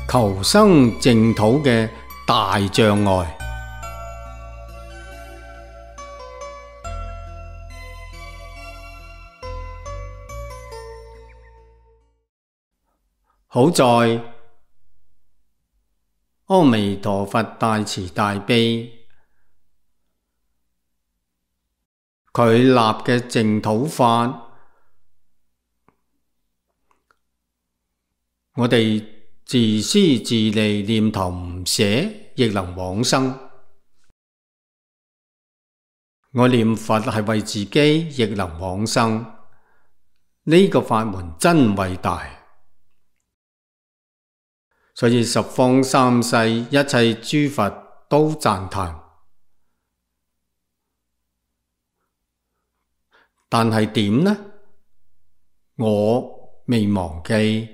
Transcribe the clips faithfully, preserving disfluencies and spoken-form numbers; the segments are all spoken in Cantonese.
求生淨土嘅大障礙。好在阿彌陀佛大慈大悲，佢立嘅淨土法，我哋自私自利，念頭唔捨，亦能往生。我念佛係為自己，亦能往生。呢個法門真偉大。所以十方三世一切諸佛都讚歎，但係點呢？我未忘記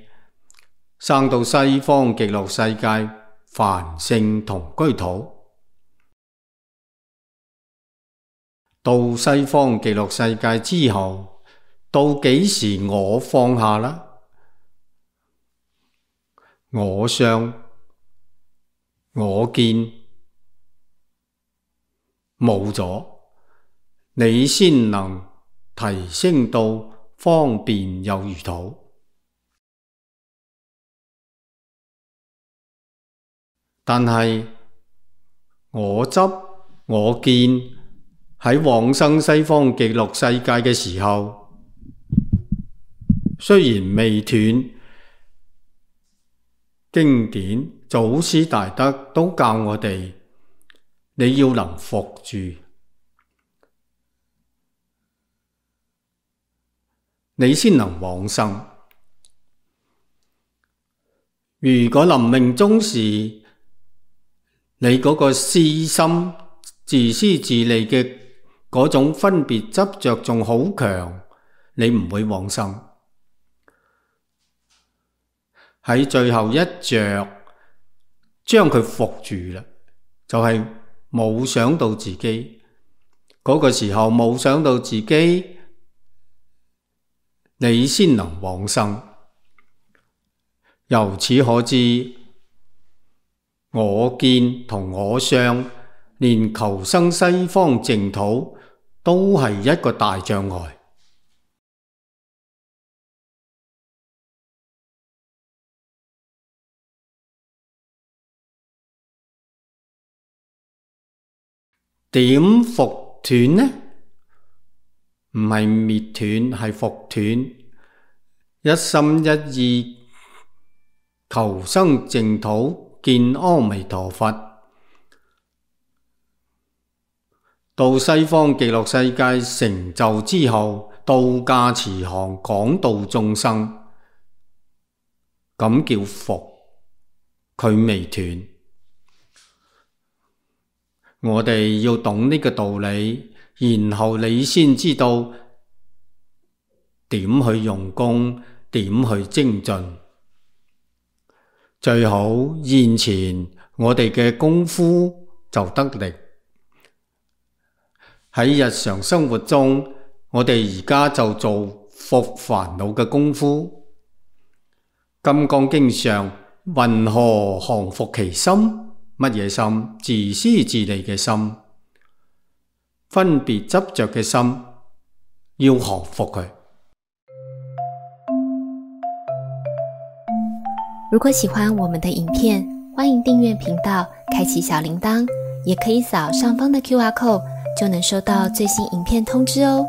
生到西方極樂世界凡聖同居土，到西方極樂世界之後，到幾時我放下啦？我相、我見冇咗，你先能提升到方便有餘土。但係我執、我見喺往生西方極樂世界嘅時候，雖然未斷，經典祖師大德都教我哋，你要能伏住，你先能往生。如果臨命終時，你嗰個私心、自私自利嘅嗰種分別執着仲好強，你唔會往生。喺最後一着，將佢伏住啦，就係冇想到自己嗰個時候，冇想到自己，你先能往生。由此可知，我見同我相，連求生西方淨土都係一個大障礙。點伏斷呢？唔係滅斷，係伏斷。一心一意求生淨土，見阿彌陀佛，到西方極樂世界成就之後，到駕慈航廣度眾生，咁叫伏，佢未斷。我哋要懂呢個道理，然後你先知道點去用功，點去精進。最好現前我哋嘅功夫就得力。喺日常生活中，我哋而家就做伏煩惱嘅功夫。金剛經上，云何降伏其心？乜嘢心？自私自利嘅心，分別執着嘅心，要降伏佢。如果喜歡我們的影片，歡迎訂閱頻道，開啟小鈴鐺，也可以掃上方的 Q R code，就能收到最新影片通知哦。